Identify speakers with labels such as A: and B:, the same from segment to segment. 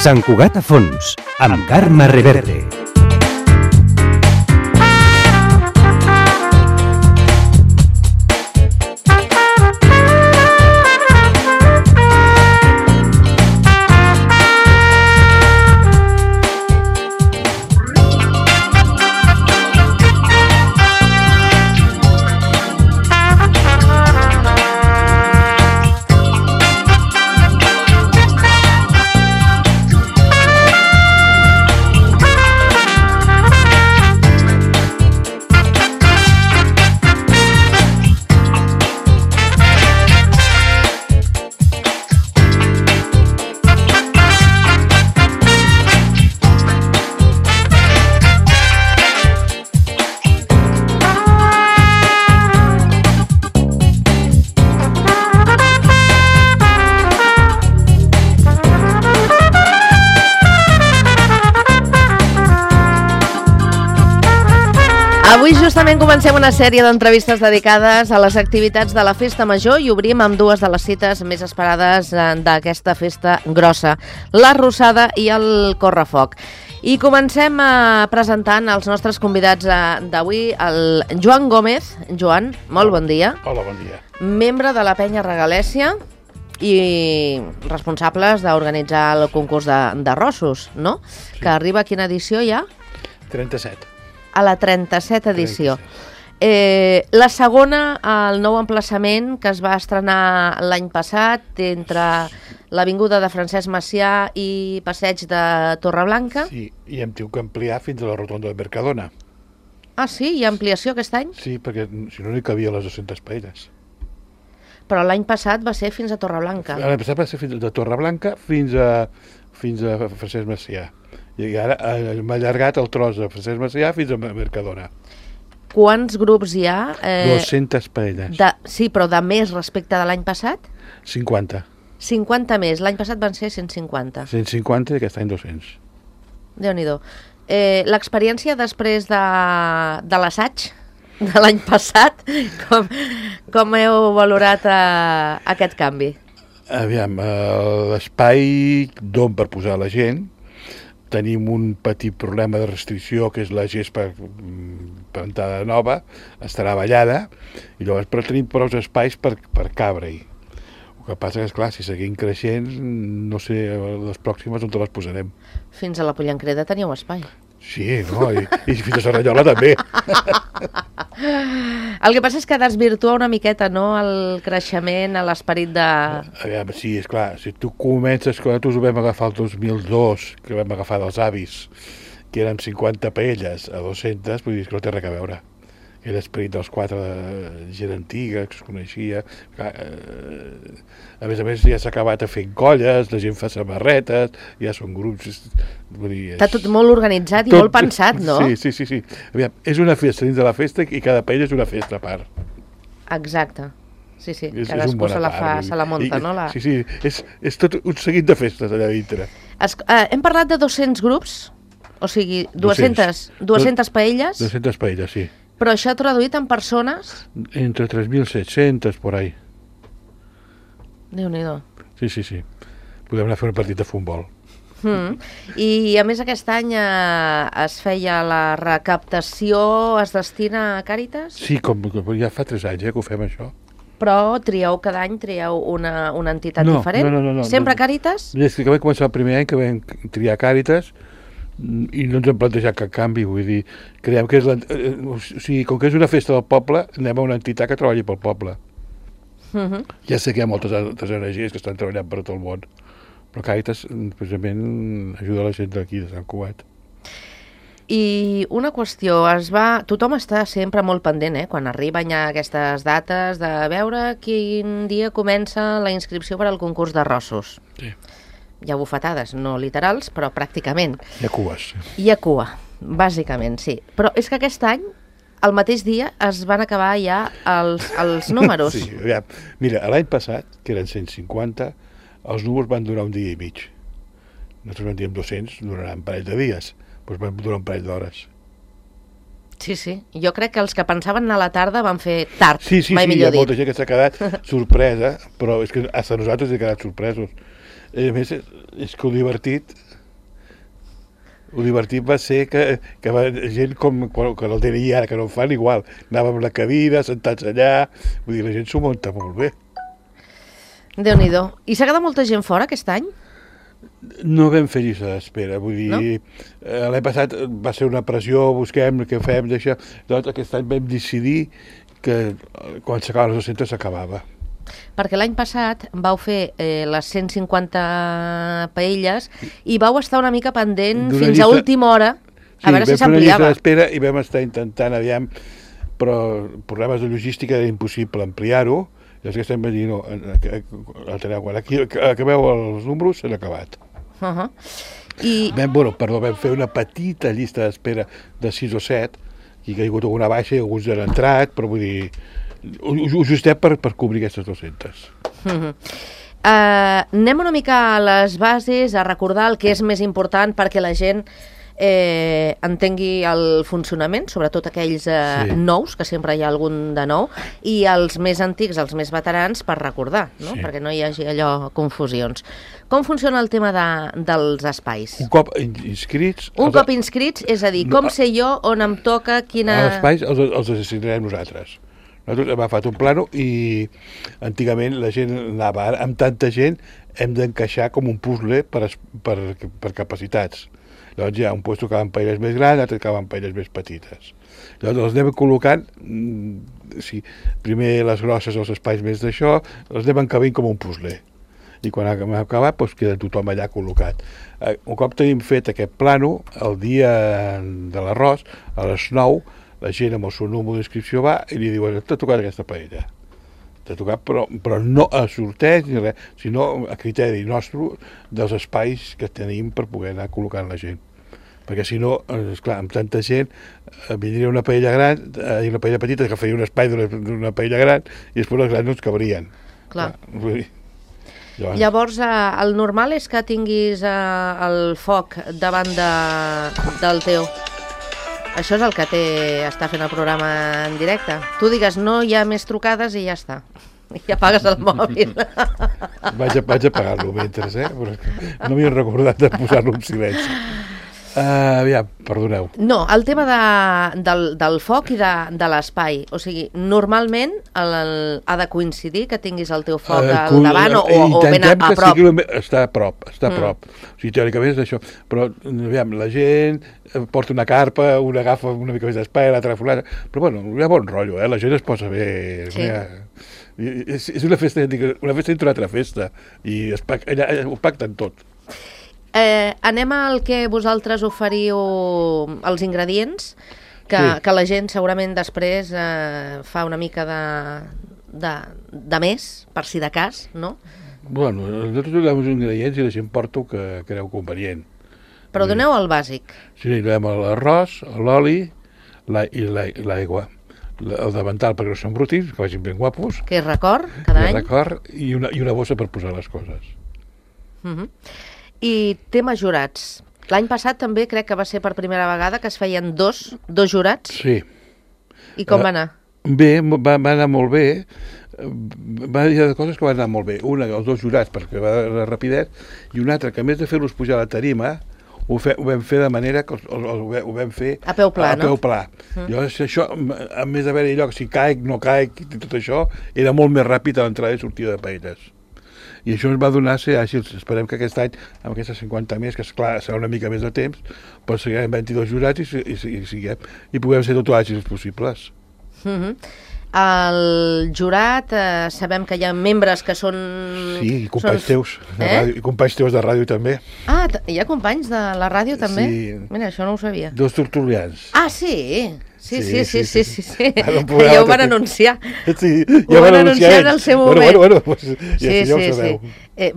A: Sant Cugat a fons, amb Carme Reverte.
B: Avui justament comencem una sèrie d'entrevistes dedicades a les activitats de la Festa Major i obrim amb dues de les cites més esperades d'aquesta festa grossa, la Rossada i el Correfoc. I comencem presentant els nostres convidats d'avui, el Joan Gómez. Joan, molt bon dia.
C: Hola, bon dia.
B: Membre de la Penya Regalèssia i responsables d'organitzar el concurs de rossos, no? Sí. Que arriba a quina edició ja?
C: 37.
B: A la 37 edició. La segona, el nou emplaçament que es va estrenar l'any passat entre l'Avinguda de Francesc Macià i Passeig de Torreblanca.
C: Sí, i hem tingut que ampliar fins a la rotonda de Mercadona.
B: Ah, sí? Hi ha ampliació aquest any?
C: Sí, perquè si no hi cabia les 200 paelles.
B: Però l'any passat va ser fins a Torreblanca.
C: L'any passat va ser fins de Torreblanca fins a Francesc Macià. I ara hem allargat el tros de Francesc Macià fins a Mercadona.
B: Quants grups hi ha?
C: 200 paelles.
B: Sí, però de més respecte de l'any passat?
C: 50.
B: 50 més. L'any passat van ser 150.
C: 150 i aquest any 200.
B: Déu-n'hi-do. L'experiència després de l'assaig de l'any passat, com heu valorat aquest canvi?
C: Aviam, l'espai d'on per posar la gent. Tenim un petit problema de restricció, que és la gespa plantada nova, estarà ballada, i llavors però tenim prou espais per cabre-hi. El que passa que, esclar, si seguim creixent, no sé les pròximes on te les posarem.
B: Fins a la Pollancreda teníeu espai.
C: Sí, no? I fins a Serranyola també.
B: El que passa és que desvirtua una miqueta, no?, el creixement, l'esperit de...
C: Aviam, sí, esclar, si tu comences, quan nosaltres ho vam agafar el 2002, que vam agafar dels avis, que eren 50 paelles a 200, vull dir que no té res a veure. Era l'esperit dels quatre de gent antiga, que es coneixia. A més, ja s'ha acabat fent colles, la gent fa samarretes, ja són grups...
B: Està tot molt organitzat i molt pensat, no?
C: Sí. Aviam, és una festa dins de la festa i cada paella és una festa a part.
B: Exacte. Sí, cadascú se la munta, no?
C: Sí, és tot un seguit de festes allà dintre.
B: Hem parlat de 200 grups, o sigui, 200 paelles.
C: 200 paelles, sí.
B: Però això traduït en persones?
C: Entre 3.700, por ahí.
B: Déu-n'hi-do.
C: Sí. Podem anar a fer un partit de futbol.
B: I a més aquest any es feia la recaptació, es destina a Càritas?
C: Sí, com ja fa 3 anys que ho fem això.
B: Però cada any trieu una entitat diferent?
C: No.
B: Sempre Càritas?
C: Des que vam començar el primer any que vam triar Càritas, i no ens hem plantejat cap canvi, vull dir, creiem que com que és una festa del poble, anem a una entitat que treballi pel poble. Ja sé que hi ha moltes altres energies que estan treballant per tot el món, però Càritas, precisament, ajuda la gent d'aquí, de Sant Cugat.
B: I una qüestió, tothom està sempre molt pendent, quan arriben ja aquestes dates, de veure quin dia comença la inscripció per al concurs de rossos.
C: Sí.
B: Hi ha bufetades, no literals, però pràcticament.
C: Hi ha cues.
B: Hi ha cua, bàsicament, sí. Però és que aquest any, el mateix dia, es van acabar ja els números.
C: Sí, aviam. Mira, l'any passat, que eren 150, els números van durar un dia i mig. Nosaltres vam dir 200, duraran un parell de dies, doncs van durar un parell d'hores.
B: Sí. Jo crec que els que pensaven anar a la tarda van fer tard, mai millor dit.
C: Sí, hi ha molta gent que s'ha quedat sorpresa, però és que fins nosaltres hem quedat sorpresos. A més, és que el divertit El divertit va ser que gent com que el DNI ara, que no en fan igual, anàvem a la cadira, sentats allà, vull dir, la gent s'ho munta molt bé.
B: Déu-n'hi-do. I s'ha quedat molta gent fora aquest any?
C: No vam fer llista d'espera, vull dir,
B: No?
C: L'any passat va ser una pressió, busquem, què fem, d'això, doncs aquest any vam decidir que quan s'acabaven les 200 s'acabava.
B: Perquè l'any passat vau fer les 150 paelles i vau estar una mica pendent
C: D'una
B: fins a
C: llista-
B: última hora a veure si
C: vam fer una llista
B: s'ampliava.
C: d'espera i vam estar intentant, aviam, però problemes de logística era impossible ampliar-ho, i els que estem dir, no, quan aquí acabeu els números, s'han acabat.
B: I
C: Vam fer una petita llista d'espera de 6 o 7, i que hi ha hagut alguna baixa i alguns han entrat, però vull dir, ho justem per cobrir aquestes 200.
B: anem una mica a les bases, a recordar el que és més important perquè la gent entengui el funcionament, sobretot aquells
C: Sí.
B: nous, que sempre hi ha algun de nou, i els més antics, els més veterans, per recordar, no?
C: Sí.
B: Perquè no hi hagi allò confusions. Com funciona el tema dels espais?
C: Un cop inscrits...
B: Un cop inscrits, és a dir, com sé jo on em toca, quina...
C: Els espais els assignarem nosaltres. Nosaltres hem agafat un plano i antigament la gent anava, ara amb tanta gent hem d'encaixar com un puzzle per capacitats. Llavors hi ha un lloc que va amb paelles més grans, altres que va amb paelles més petites. Llavors els anem col·locant, primer les grosses, els espais més d'això, els anem encabint com un puzzle. I quan hem acabat, doncs queda tothom allà col·locat. Un cop tenim fet aquest plano, el dia de l'arròs, a les 9, la gent amb el seu número d'inscripció va i li diuen, t'ha tocat aquesta paella. T'ha tocat, però no a sorteig ni res, sinó a criteri nostre dels espais que tenim per poder anar col·locant la gent. Perquè si no, esclar, amb tanta gent vindria una paella gran i una paella petita que faria un espai d'una paella gran i després les grans no ens cabrien.
B: Clar.
C: Vull dir,
B: Llavors, el normal és que tinguis el foc davant del teu... Això és el que està fent el programa en directe. Tu digues, no hi ha més trucades i ja està. I apagues el mòbil.
C: Vaig a apagar-lo mentre, però no m'hi he recordat de posar-lo en silenci. Aviam, perdoneu.
B: No, el tema del foc i de l'espai. O sigui, normalment ha de coincidir que tinguis el teu foc al davant o ben a prop.
C: Està a prop, O sigui, teòricament és això. Però, aviam, la gent porta una carpa, una agafa una mica més d'espai, l'altra fulana. Però, bueno, hi ha bon rotllo, la gent es posa bé.
B: Sí.
C: És una festa dintre una altra festa. I allà ho pacten tot.
B: Anem al que vosaltres oferiu, els ingredients, que la gent segurament després fa una mica de més, per si de cas, no?
C: Bueno, nosaltres donem uns ingredients i la gent porta el que creu convenient.
B: Però doneu el bàsic.
C: Sí, donem l'arròs, l'oli i l'aigua. El davantal perquè no són brutins, que vagin ben guapos.
B: Que és record, cada any.
C: I una bossa per posar les coses.
B: I tema jurats. L'any passat també crec que va ser per primera vegada que es feien dos jurats.
C: Sí.
B: I com va anar?
C: Bé, va anar molt bé. Hi ha coses que van anar molt bé. Una, els dos jurats, perquè va de rapidet, i una altra, que a més de fer-los pujar a la tarima, ho vam fer de manera que ho vam fer
B: a peu pla, no?
C: A peu pla. Llavors, això, a més d'haver-hi lloc, si caic, no caic, i tot això, era molt més ràpid a l'entrada i sortida de paelles. I això ens va donar ser àgils. Esperem que aquest any, amb aquestes 50 més, que esclar, serà una mica més de temps, però seguirem 22 jurats i puguem ser tot àgils possibles.
B: El jurat, sabem que hi ha membres que són...
C: Sí, i companys teus de ràdio, i companys teus de ràdio també.
B: Ah, hi ha companys de la ràdio també?
C: Sí.
B: Mira, això no ho sabia.
C: Dos tertulians.
B: Ah, sí? Sí.
C: Ara
B: Ja ho van anunciar.
C: Sí,
B: ja ho van anunciar en el seu moment.
C: Bueno, pues, ja ho sabeu.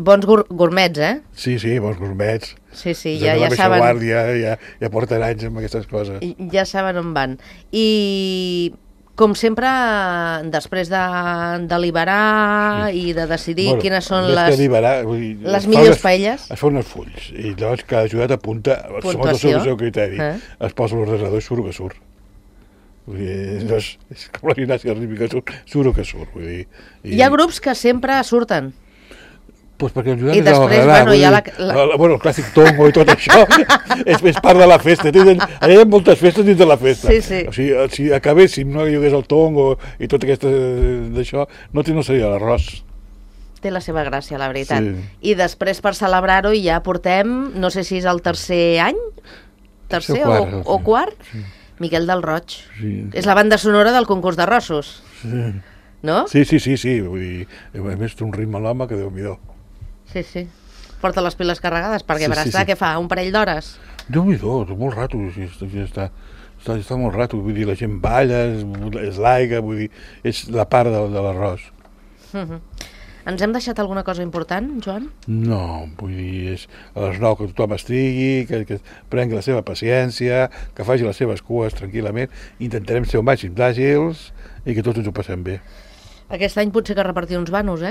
B: Bons gourmets, eh?
C: Sí, bons gourmets.
B: Sí, ja saben.
C: Guàrdia, ja porten anys amb aquestes coses.
B: Ja saben on van. I... Com sempre, després de deliberar i de decidir quines són les millors paelles...
C: Es fa uns fulls, i llavors cada jurat apunta, segons el seu criteri, es posa l'ordenador i surt que surt. Vull dir, és com la gimnàstica rítmica, surt que surt. Vull dir,
B: Hi ha grups que sempre surten.
C: Pues perquè el Joan
B: I
C: és el
B: després,
C: agradar,
B: bueno, hi ha
C: bueno, el clàssic tongo i tot això és part de la festa. Allà hi ha moltes festes dins de la festa.
B: Sí.
C: O sigui, si acabéssim, no hi hagués el tongo i tot aquest d'això, no seria l'arròs.
B: Té la seva gràcia, la veritat.
C: Sí.
B: I després, per celebrar-ho, ja portem, no sé si és el tercer any, tercer o quart,
C: sí.
B: Miquel del Roig.
C: Sí.
B: És la banda sonora del concurs d'arrossos.
C: Sí.
B: No?
C: Sí, vull dir, a més té un ritme l'home que Déu-n'hi-do.
B: Sí. Porta les piles carregades, perquè per estar,
C: sí.
B: què fa, un parell d'hores?
C: Déu-n'hi-do, molt rato, està molt rato, vull dir, la gent balla, és l'aigua, vull dir, és la part de l'arròs.
B: Ens hem deixat alguna cosa important, Joan?
C: No, vull dir, és a les 9 que tothom estigui, que prengui la seva paciència, que faci les seves cues tranquil·lament, intentarem ser el màxim d'àgils i que tots ens ho passem bé.
B: Aquest any potser que repartir uns vanos,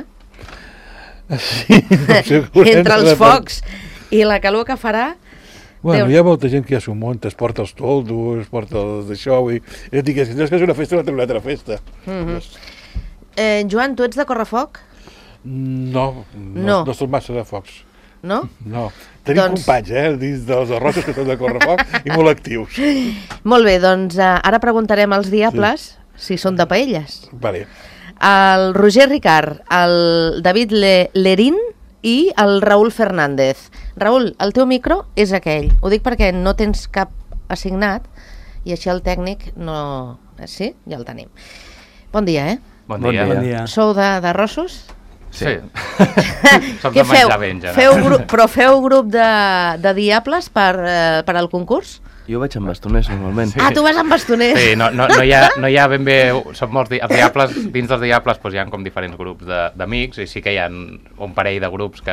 C: Sí, no,
B: entre els focs i la calor que farà.
C: Bueno, hi ha molta gent que ja s'ho munta, es porta els toldos, es porta els d'això, i jo dic, si no és que és una festa, una altra festa.
B: Joan, tu ets de correfoc?
C: No som massa de focs.
B: No?
C: No. Tenim companys, dins dels arrossos que són de correfoc i molt actius.
B: Molt bé, doncs ara preguntarem als diables si són de paelles.
C: Vale.
B: El Roger Ricard, el David Lerín i el Raül Fernández. Raül, el teu micro és aquell. Ho dic perquè no tens cap assignat i així el tècnic no... Sí? Ja el tenim. Bon dia,
D: Bon dia.
B: Sou d'arrossos?
D: Sí. Som de menjar ben, ja.
B: Però feu grup de diables per al concurs?
E: Jo vaig amb bastoners, normalment.
B: Sí. Ah, tu vas amb bastoners?
D: Sí, no hi ha ben bé... Som molts els diables, dins dels diables hi ha com diferents grups d'amics i sí que hi ha un parell de grups que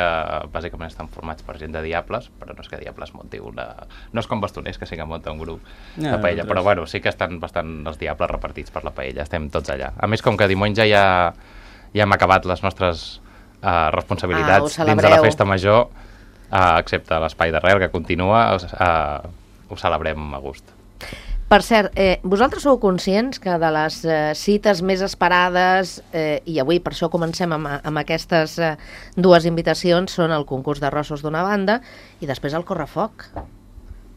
D: bàsicament estan formats per gent de diables, però no és que diables munti una... No és com bastoners, que sí que munta un grup de paella, però bueno, sí que estan bastant els diables repartits per la paella, estem tots allà. A més, com que diumenge ja hem acabat les nostres responsabilitats dins de la festa major, excepte l'espai d'arrel que continua, ho celebrem a gust.
B: Per cert, vosaltres sou conscients que de les cites més esperades, i avui per això comencem amb aquestes dues invitacions, són el concurs d'arrossos d'una banda i després el correfoc.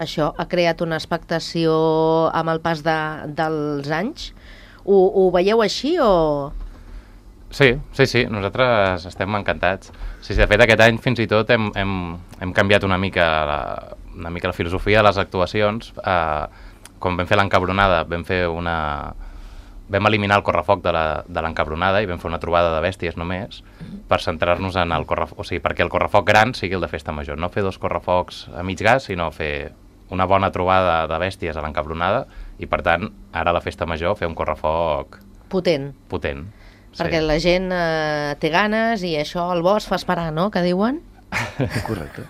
B: Això ha creat una expectació amb el pas dels anys. Ho veieu així o...?
D: Sí, nosaltres estem encantats. Sí, de fet, aquest any fins i tot hem canviat una mica la filosofia de les actuacions. Quan vam fer l'encabronada, vam eliminar el correfoc de l'encabronada i vam fer una trobada de bèsties només per centrar-nos en el correfoc, o sigui, perquè el correfoc gran sigui el de festa major. No fer dos correfocs a mig gas, sinó fer una bona trobada de bèsties a l'encabronada i, per tant, ara a la festa major fer un correfoc
B: potent. Perquè la gent té ganes i això el bo es fa esperar, no?, que diuen?
E: Correcte.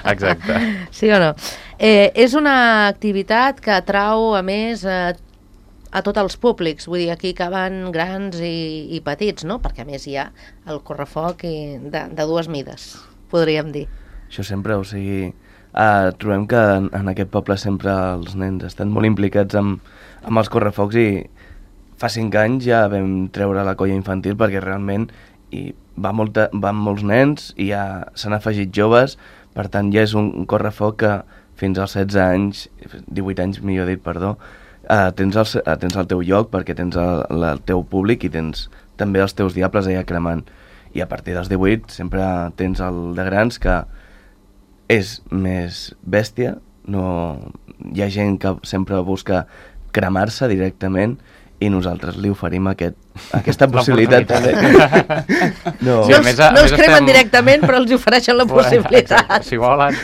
D: Exacte.
B: Sí o no? És una activitat que atrau, a més, a tots els públics. Vull dir, aquí caben grans i petits, no? Perquè, a més, hi ha el correfoc de dues mides, podríem dir.
E: Això sempre, o sigui... trobem que en aquest poble sempre els nens estan molt implicats amb els correfocs i fa 5 anys ja vam treure la colla infantil perquè realment van molts nens i ja s'han afegit joves, per tant ja és un correfoc que fins als 16 anys, 18 anys millor dit, perdó, tens el teu lloc perquè tens el teu públic i tens també els teus diables allà cremant. I a partir dels 18 sempre tens el de grans que és més bèstia, hi ha gent que sempre busca cremar-se directament i nosaltres li oferim aquesta possibilitat també.
B: No els cremen directament, però els ofereixen la possibilitat.
D: Si volen.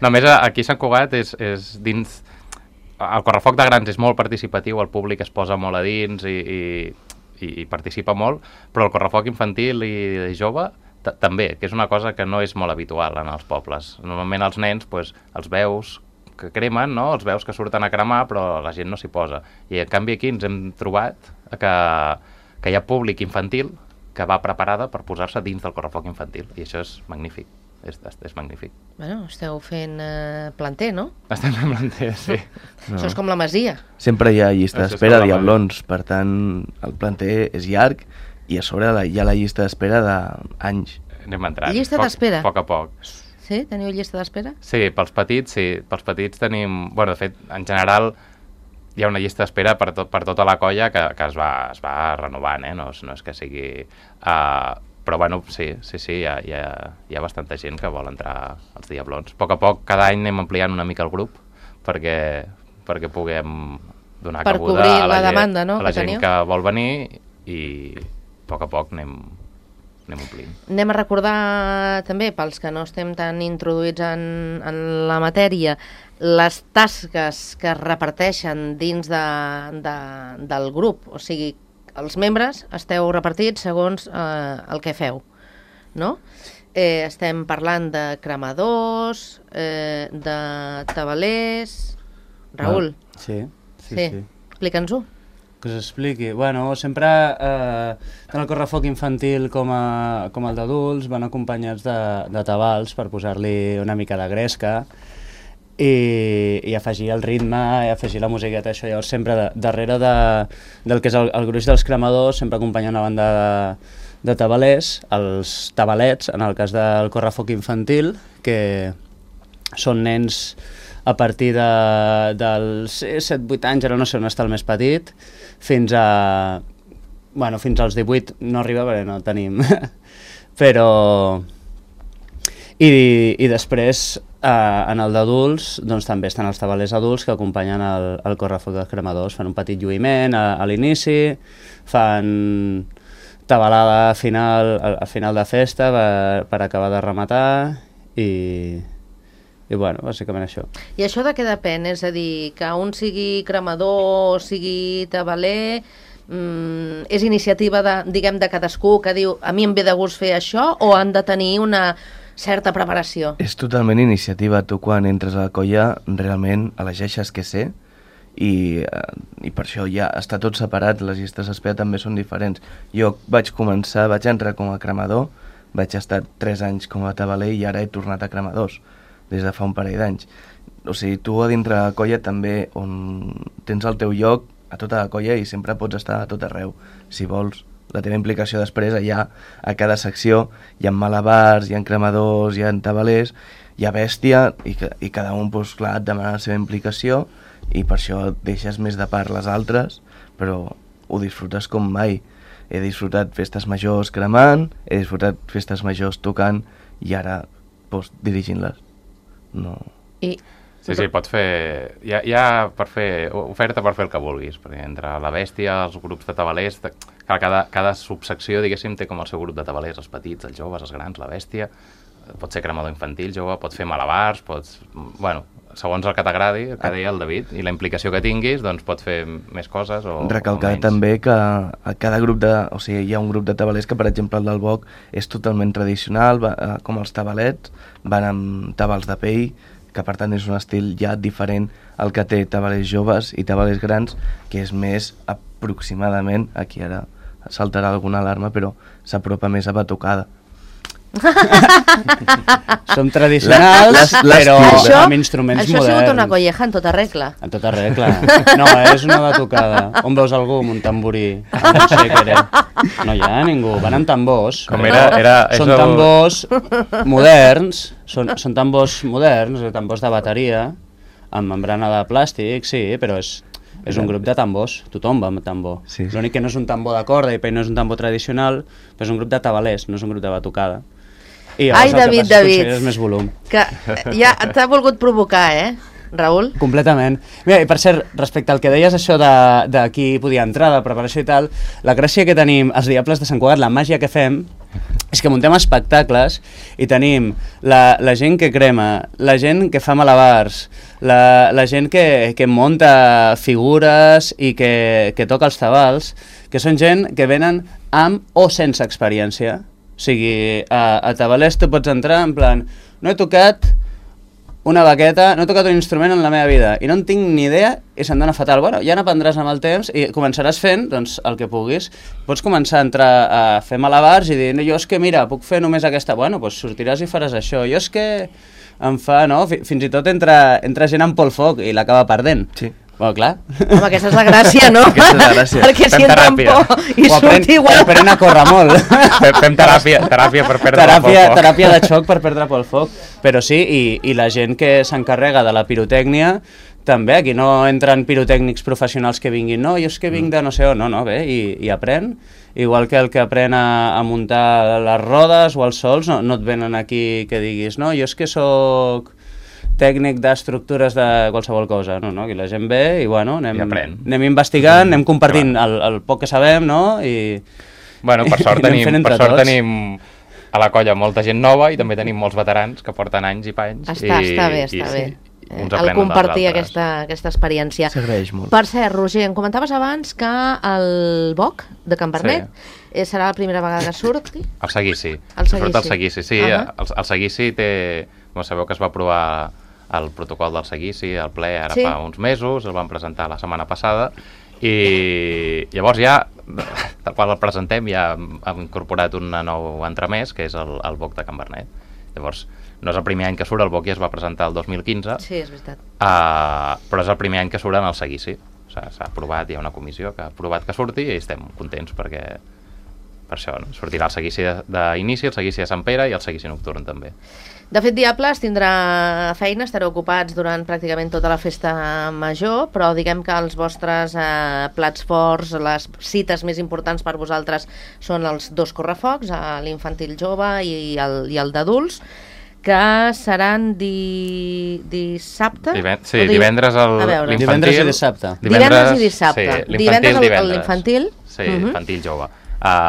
D: Només aquí a Sant Cugat és dins... El correfoc de grans és molt participatiu, el públic es posa molt a dins i participa molt, però el correfoc infantil i jove també, que és una cosa que no és molt habitual en els pobles. Normalment els nens els veus que cremen, no? Els veus que surten a cremar, però la gent no s'hi posa. I en canvi aquí ens hem trobat que hi ha públic infantil que va preparada per posar-se dins del correfoc infantil, i això és magnífic. És magnífic.
B: Bueno, esteu fent planter, no?
D: Estem fent planter, sí.
B: Això és com la Masia.
E: Sempre hi ha llista d'espera de diablons, per tant, el planter és llarg i a sobre hi ha la llista d'espera d'anys.
D: anem entrant.
B: Llista d'espera?
D: A poc a poc.
B: Sí? Teniu llista d'espera?
D: Sí, pels petits tenim... Bueno, de fet, en general hi ha una llista d'espera per tota la colla que es va renovant, no és que sigui... Però bueno, sí, hi ha bastanta gent que vol entrar als Diablons. A poc, cada any anem ampliant una mica el grup perquè puguem donar cabuda a la demanda, no? A la gent que vol venir i a poc anem omplint.
B: Anem a recordar també, pels que no estem tan introduïts en la matèria, les tasques que es reparteixen dins del grup. O sigui, els membres esteu repartits segons el que feu, no? Estem parlant de cremadors, de tabalers... Raül?
F: Sí.
B: Explica'ns-ho.
F: Que us expliqui. Bueno, sempre tant el correfoc infantil com el d'adults van acompanyats de tabals per posar-li una mica de gresca i afegir el ritme i afegir la musiqueta, això. Llavors sempre darrere del que és el gruix dels cremadors sempre acompanya una banda de tabalers, els tabalets en el cas del correfoc infantil, que són nens a partir dels 7-8 anys, ara no sé on està el més petit, fins als 18 no arriba perquè no tenim, però... I després, en el d'adults, doncs també estan els tabalers adults que acompanyen el correfoc dels cremadors, fan un petit lluïment a l'inici, fan tabalada al final de festa per acabar de rematar i bueno, bàsicament això.
B: I això de què depèn? És a dir, que un sigui cremador o sigui tabaler, és iniciativa de cadascú que diu a mi em ve de gust fer això, o han de tenir una certa preparació?
E: És totalment iniciativa. Tu quan entres a la colla realment elegeixes què ser i per això ja està tot separat, les llistes d'espera també són diferents. Jo vaig entrar com a cremador, vaig estar 3 anys com a tabaler i ara he tornat a cremadors des de fa un parell d'anys. O sigui, tu a dintre la colla també, on tens el teu lloc a tota la colla i sempre pots estar a tot arreu, si vols. La teva implicació després allà, a cada secció, hi ha malabars, hi ha cremadors, hi ha tabalers, hi ha bèstia, i cada un, doncs, clar, et demana la seva implicació, i per això deixes més de part les altres, però ho disfrutes com mai. He disfrutat festes majors cremant, he disfrutat festes majors tocant, i ara, doncs, dirigint-les. No.
D: Sí, pots fer... Hi ha per fer oferta per fer el que vulguis, perquè entre la bèstia, els grups de tabalers, cada subsecció, diguéssim, té com el seu grup de tabalers, els petits, els joves, els grans, la bèstia, pot ser cremador infantil, jove, pots fer malabars, bueno, segons el que t'agradi, el que deia el David, i la implicació que tinguis, doncs pots fer més coses o
E: recalcar també que a cada grup o sigui, hi ha un grup de tabalers que, per exemple, el del Boc és totalment tradicional, com els tabalets, van amb tabals de pell, que per tant és un estil ja diferent al que té tabalers joves i tabalers grans, que és més aproximadament, aquí ara saltarà alguna alarma, però s'apropa més a batucada.
F: Som tradicionals, però amb instruments moderns.
B: Això ha sigut una colleja en tota regla.
F: En tota regla. No, és una batucada. On veus algú amb un tamborí? No sé què era. No hi ha ningú. Van amb tambors. Són tambors moderns, són tambors moderns, tambors de bateria, amb membrana de plàstic, sí, però és un grup de tambors, tothom va amb tambor.
E: Sí.
F: L'únic que no és un tambor de corda i no és un tambor tradicional, però és un grup de tabalers, no és un grup de batucada. I
B: ai, David,
F: més volum.
B: Que ja t'ha volgut provocar, Raül?
F: Completament. Mira, i per cert, respecte al que deies això de qui podia entrar, de preparació i tal, la gràcia que tenim els Diables de Sant Cugat, la màgia que fem, és que muntem espectacles i tenim la gent que crema, la gent que fa malabars, la gent que munta figures i que toca els tabals, que són gent que venen amb o sense experiència. O sigui, a tabalers tu pots entrar en plan, no he tocat una baqueta, no he tocat un instrument en la meva vida i no en tinc ni idea i se'm dona fatal. Bueno, ja n'aprendràs amb el temps i començaràs fent doncs, el que puguis. Pots començar a entrar a fer malabars i dir, no, jo és que mira, puc fer només aquesta. Bueno, doncs sortiràs i faràs això. Jo és que em fa, no? Fins i tot entra gent amb por al foc i l'acaba perdent.
E: Sí.
F: Bueno, clar.
B: Home, aquesta és la gràcia, no?
E: Aquesta és la gràcia.
B: Perquè si
D: Fem
B: entra en
D: teràpia.
B: por i surt igual...
F: Aprèn a córrer molt.
D: Fem teràpia per perdre el foc.
F: Teràpia de xoc per perdre pel foc. Però sí, i la gent que s'encarrega de la pirotècnia, també, aquí no entren pirotècnics professionals que vinguin, no, jo és que vinc de no sé on, no, bé, i aprèn, igual que el que aprèn a muntar les rodes o els sols, no et venen aquí que diguis, no, jo és que sóc tècnic d'estructures de qualsevol cosa, no, aquí la gent ve i bueno, anem investigant, anem compartint el poc que sabem, no, i...
D: Bueno, per sort tenim a la colla molta gent nova i també tenim molts veterans que porten anys i panys.
B: Està bé. El compartir aquesta experiència.
E: S'agraeix molt.
B: Per cert, Roger, em comentaves abans que el Boc de Can Bernet serà la primera vegada que surti?
D: El seguici.
B: Surt
D: el seguici, sí. El seguici té... Com sabeu que es va aprovar el protocol del seguici al ple ara fa uns mesos, el van presentar la setmana passada i llavors ja, tal qual el presentem, ja hem incorporat un nou entremès, que és el Boc de Can Bernet. Llavors, no és el primer any que surt, el Boc ja es va presentar el 2015.
B: Sí, és veritat.
D: Però és el primer any que surt en el seguici. S'ha aprovat, hi ha una comissió que ha aprovat que surti i estem contents perquè per això sortirà el seguici d'inici, el seguici de Sant Pere i el seguici nocturn també.
B: De fet, Diables tindrà feina, estareu ocupats durant pràcticament tota la festa major, però diguem que els vostres plats forts, les cites més importants per vosaltres són els dos correfocs, l'infantil jove i el d'adults, que seran dissabte?
D: Divendres l'infantil.
F: Divendres i dissabte.
B: Divendres i dissabte.
D: Divendres
B: l'infantil.
D: Sí, infantil jove. A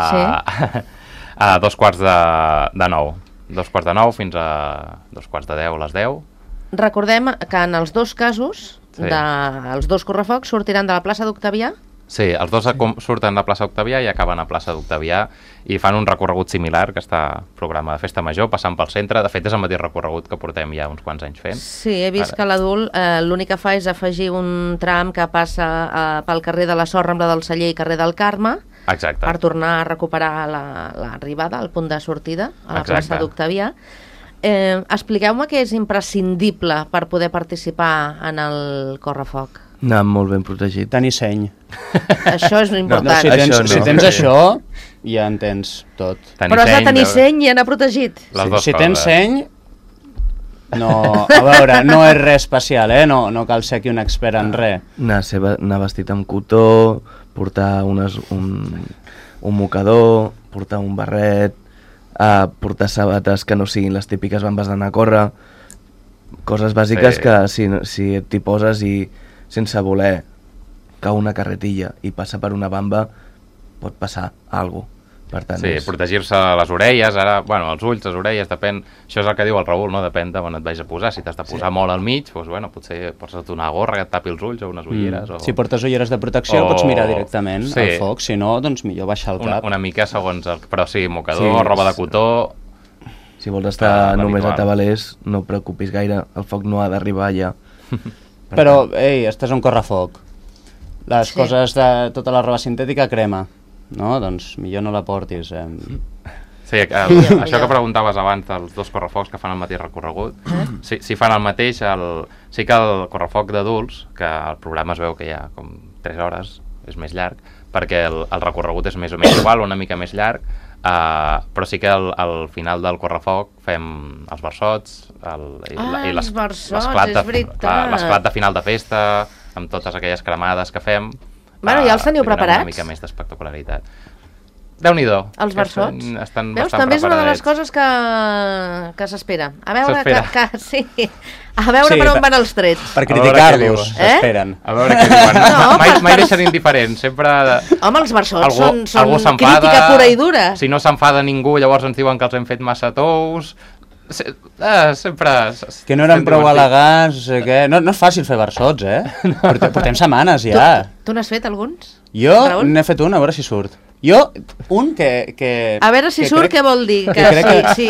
D: 8:45 2:45 fins a 2:45 les 10.
B: Recordem que en els dos casos, els dos correfocs sortiran de la plaça d'Octavià.
D: Sí, els dos surten de plaça Octavià i acaben a plaça d'Octavià i fan un recorregut similar que està programa de festa major, passant pel centre. De fet, és el mateix recorregut que portem ja uns quants anys fent.
B: Sí, he vist que l'adult l'únic que fa és afegir un tram que passa pel carrer de la Sor, Rambla del Celler i carrer del Carme.
D: Exacte.
B: Per tornar a recuperar l'arribada, el punt de sortida, a la plaça d'Octavià. Expliqueu-me què és imprescindible per poder participar en el correfoc.
E: Anar molt ben protegit.
F: Tenir seny.
B: Això és important.
F: Si tens això, ja en tens tot.
B: Però has de tenir seny i anar protegit.
F: Si tens seny... No, a veure, no és res especial, no cal ser aquí un expert en res.
E: Anar vestit amb cotó, portar un mocador, portar un barret, portar sabates que no siguin les típiques bambes d'anar a córrer, coses bàsiques que si t'hi poses i sense voler cau una carretilla i passa per una bamba, pot passar alguna cosa. Per tant,
D: protegir-se les orelles, ara, bueno, els ulls, les orelles, depèn, això és el que diu el Raül, no? Depèn de on et vagis a posar, si t'has de posar molt al mig, doncs, bueno, potser posa't una gorra que et tapi els ulls o unes ulleres.
F: Si portes ulleres de protecció pots mirar directament al foc, si no, doncs millor baixar el cap.
D: Una mica segons però sí, mocador, roba de cotó...
E: Si vols estar només a tabalers, no et preocupis gaire, el foc no ha d'arribar allà.
F: Però, estàs a un correfoc, les coses de tota la roba sintètica crema. No, doncs millor no la portis.
D: Sí, això que preguntaves abans dels dos correfocs que fan el mateix recorregut, si fan el mateix, sí que el correfoc d'adults, que el programa es veu que hi ha com 3 hores, és més llarg, perquè el recorregut és més o menys igual, una mica més llarg, però sí que al final del correfoc fem els versots i l'esclat de final de festa, amb totes aquelles cremades que fem.
B: Bueno, ja els teniu preparats?
D: Una mica més d'espectacularitat. Déu-n'hi-do.
B: Els versots.
D: Estan
B: veus,
D: bastant
B: també és una de les coses que s'espera. A veure per on van els trets.
F: Per criticar-los, s'esperen.
D: A veure què diuen. Mai deixen indiferents. Sempre...
B: Home, els versots són crítica pura i dura.
D: Si no s'enfada ningú, llavors ens diuen que els hem fet massa tous... sempre...
F: Que no eren prou elegants, no sé què. No és fàcil fer versots, Portem setmanes ja.
B: Tu n'has fet alguns?
F: Jo n'he fet un, a veure si surt. Un que...
B: A veure si surt, què vol dir?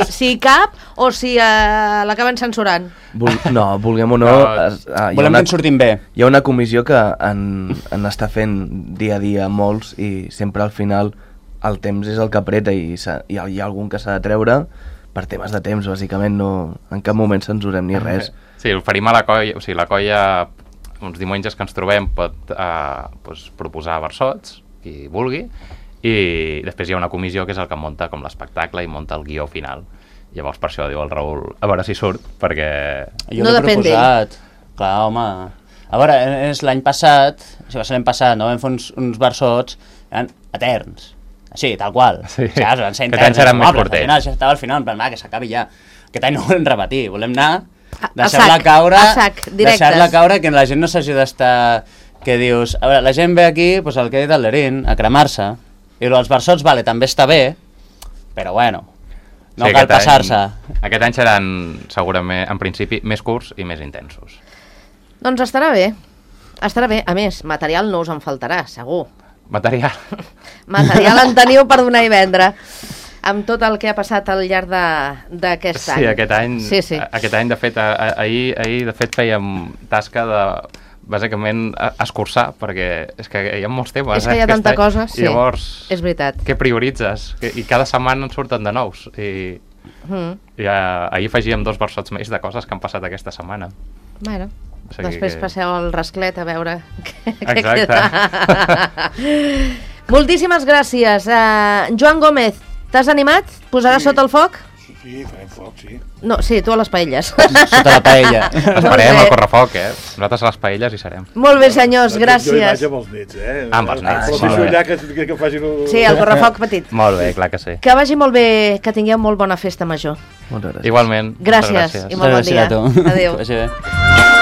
B: Si cap o si l'acaben censurant?
E: No, vulguem o no...
F: Volem que en surtin bé.
E: Hi ha una comissió que en està fent dia a dia molts i sempre al final el temps és el que apreta i hi ha algun que s'ha de treure per temes de temps, bàsicament, no, en cap moment censurem ni res.
D: Sí, oferim a la colla, o sigui, la colla uns diumenges que ens trobem pot doncs, proposar versots, qui vulgui, i després hi ha una comissió que és el que munta com l'espectacle i munta el guió final. Llavors per això diu el Raül, a veure si surt, perquè...
F: Jo
B: No
F: l'he
B: depèn
F: proposat. Clar, home... A veure, és l'any passat, si va ser l'any passat, no? Vam fer uns versots eterns. Així, tal qual.
D: Sí.
F: Saps? Van ser
D: Aquest any
F: interns,
D: seran més
F: mobles.
D: curtets.
F: Al final, això estava al final, en plan, va, que s'acabi ja. Aquest any no volem repetir, volem anar,
B: A
F: deixar-la
B: sac,
F: caure,
B: a sac, directes.
F: deixar-la caure, que la gent no s'hagi d'estar... Que dius, a veure, la gent ve aquí, doncs el que ha dit el Lerín, a cremar-se, i els versots, vale, també està bé, però bueno, no cal passar-se.
D: Aquest any seran, segurament, en principi, més curts i més intensos.
B: Doncs estarà bé. Estarà bé. A més, material no us en faltarà, segur.
D: Material.
B: Material en teniu per donar i vendre amb tot el que ha passat al llarg d'aquest any.
D: Sí, aquest any,
B: Sí.
D: aquest any de fet, ahir de fet fèiem tasca de bàsicament escurçar, perquè és que hi ha molts temes.
B: És que hi ha tanta cosa, sí,
D: I llavors,
B: és veritat.
D: què prioritzes? I cada setmana en surten de nous. I ahir afegíem 2 versots més de coses que han passat aquesta setmana.
B: Bueno,
D: O sigui
B: després
D: que-
B: passeu al rasclet a veure què
D: Exacte.
B: queda. Moltíssimes gràcies. Joan Gómez, t'has animat? Posaràs sota el foc?
C: Sí, farem foc, sí.
B: No, sí, tu a les paelles.
F: Sota la paella.
D: Esperem
B: bé.
D: el correfoc, Nosaltres a les paelles hi serem.
B: Molt bé, senyors,
C: Jo hi
B: gràcies.
C: vaig amb els nets,
D: Amb els nets,
C: Però
D: molt
C: deixo
D: bé.
C: allà que facin...
B: Sí, el correfoc petit.
D: Molt bé, clar que sí.
B: Que vagi molt bé, que tingueu molt bona festa major.
E: Moltes gràcies.
D: Igualment. moltes
B: Gràcies i molt bon
F: Gràcies
B: dia.
F: a tu.
B: Adéu.
F: Que vagi bé.